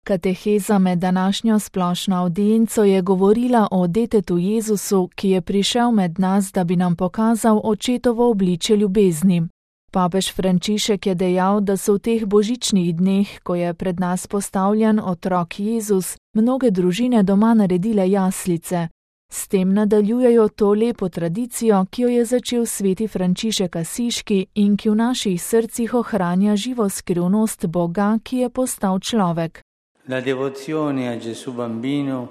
Kateheza med današnjo splošno avdienco je govorila o detetu Jezusu, ki je prišel med nas, da bi nam pokazal očetovo obličje ljubezni. Papež Frančišek je dejal, da so v teh božičnih dneh, ko je pred nas postavljen otrok Jezus, mnoge družine doma naredile jaslice. S tem nadaljujejo to lepo tradicijo, ki jo je začel sveti Frančišek Asiški in ki v naših srcih ohranja živo skrivnost Boga, ki je postal človek. La devozione a Gesù bambino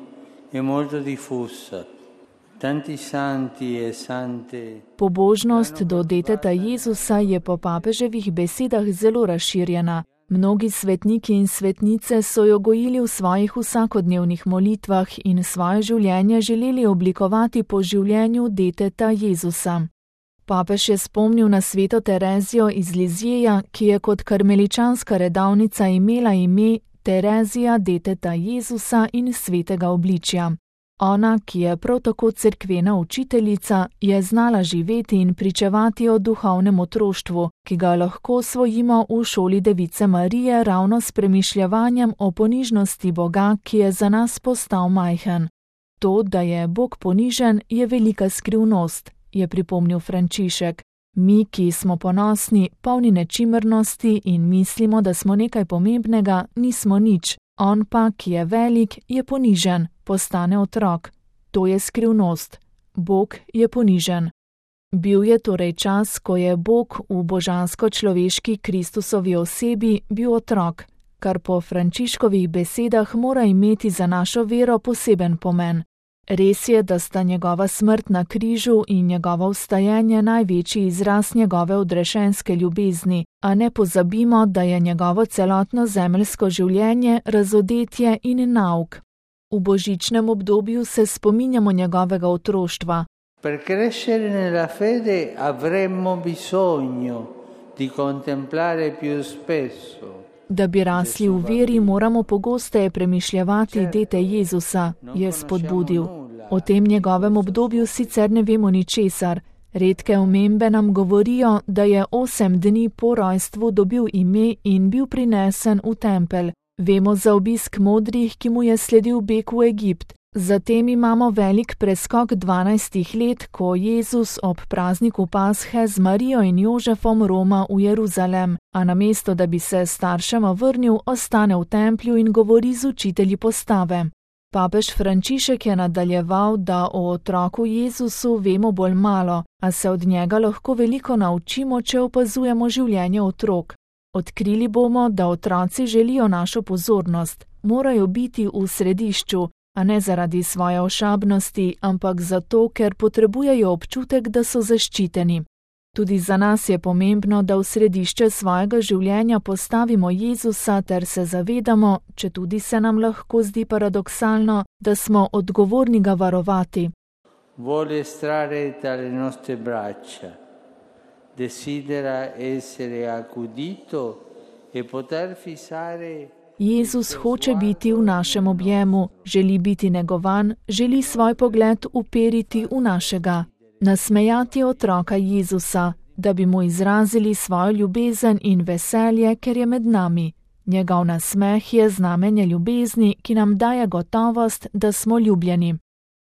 è molto diffusa. Tanti santi e sante. Pobožnost do deteta Jezusa je po papeževih besedah zelo razširjena. Mnogi svetniki in svetnice so jo gojili v svojih vsakodnevnih molitvah in svoje življenje želeli oblikovati po življenju deteta Jezusa. Papež je spomnil na sveto Terezijo iz Lizjeja, ki je kot karmeličanska redavnica imela ime Terezija deteta Jezusa in svetega obličja. Ona, ki je prav tako cerkvena učiteljica, je znala živeti in pričevati o duhovnem otroštvu, ki ga lahko osvojimo v šoli Device Marije ravno s premišljevanjem o ponižnosti Boga, ki je za nas postal majhen. To, da je Bog ponižen, je velika skrivnost, je pripomnil Frančišek. Mi, ki smo ponosni, polni nečimrnosti in mislimo, da smo nekaj pomembnega, nismo nič. On pa, ki je velik, je ponižen, postane otrok. To je skrivnost. Bog je ponižen. Bil je torej čas, ko je Bog v božansko-človeški Kristusovi osebi bil otrok, kar po Frančiškovih besedah mora imeti za našo vero poseben pomen. Res je, da sta njegova smrt na križu in njegovo vstajenje največji izraz njegove odrešenske ljubezni, a ne pozabimo, da je njegovo celotno zemeljsko življenje razodetje in nauk. V božičnem obdobju se spominjamo njegovega otroštva. Per crescere nella fede avremmo bisogno di contemplare più spesso. Da bi rasli v veri, moramo pogosteje premišljevati dete Jezusa, je spodbudil. O tem njegovem obdobju sicer ne vemo ničesar. Redke omembe nam govorijo, da je 8 dni po rojstvu dobil ime in bil prinesen v tempelj. Vemo za obisk modrih, ki mu je sledil beg v Egipt. Zatem imamo velik preskok 12 let, ko Jezus ob prazniku Pashe z Marijo in Jožefom roma v Jeruzalem, a namesto da bi se staršema vrnil, ostane v templju in govori z učitelji postave. Papež Frančišek je nadaljeval, da o otroku Jezusu vemo bolj malo, a se od njega lahko veliko naučimo, če opazujemo življenje otrok. Odkrili bomo, da otroci želijo našo pozornost, morajo biti v središču, a ne zaradi svoje ošabnosti, ampak zato, ker potrebujejo občutek, da so zaščiteni. Tudi za nas je pomembno, da v središče svojega življenja postavimo Jezusa ter se zavedamo, četudi se nam lahko zdi paradoksalno, da smo odgovorni ga varovati. Vuole estrarre dalle nostre braccia, desidera essere accudito e poter fissare. Jezus hoče biti v našem objemu, želi biti negovan, želi svoj pogled uperiti v našega. Nasmejati otroka Jezusa, da bi mu izrazili svojo ljubezen in veselje, ker je med nami. Njegov nasmeh je znamenje ljubezni, ki nam daje gotovost, da smo ljubljeni.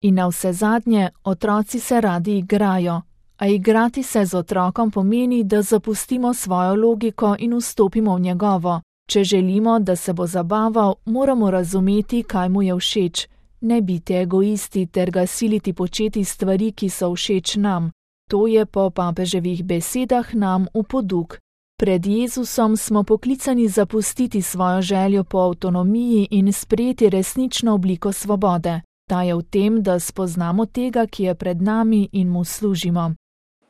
In navsezadnje, otroci se radi igrajo, a igrati se z otrokom pomeni, da zapustimo svojo logiko in vstopimo v njegovo. Če želimo, da se bo zabaval, moramo razumeti, kaj mu je všeč. Ne biti egoisti ter ga siliti početi stvari, ki so všeč nam. To je po papeževih besedah nam v poduk. Pred Jezusom smo poklicani zapustiti svojo željo po avtonomiji in sprejeti resnično obliko svobode. Ta je v tem, da spoznamo tega, ki je pred nami in mu služimo.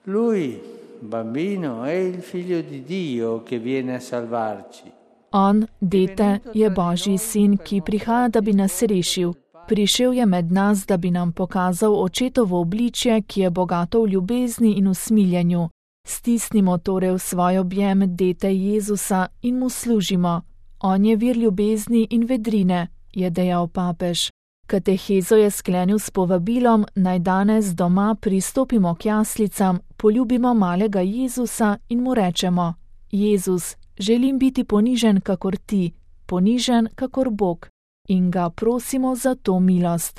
Lui, bambino, è il figlio di Dio che viene a salvarci. On, dete, je Božji sin, ki prihaja, da bi nas rešil. Prišel je med nas, da bi nam pokazal očetovo obličje, ki je bogato v ljubezni in usmiljenju. Stisnimo torej v svoj objem dete Jezusa in mu služimo. On je vir ljubezni in vedrine, je dejal papež. Katehezo je sklenil s povabilom, naj danes doma pristopimo k jaslicam, poljubimo malega Jezusa in mu rečemo: Jezus, želim biti ponižen kakor ti, ponižen kakor Bog in ga prosimo za to milost.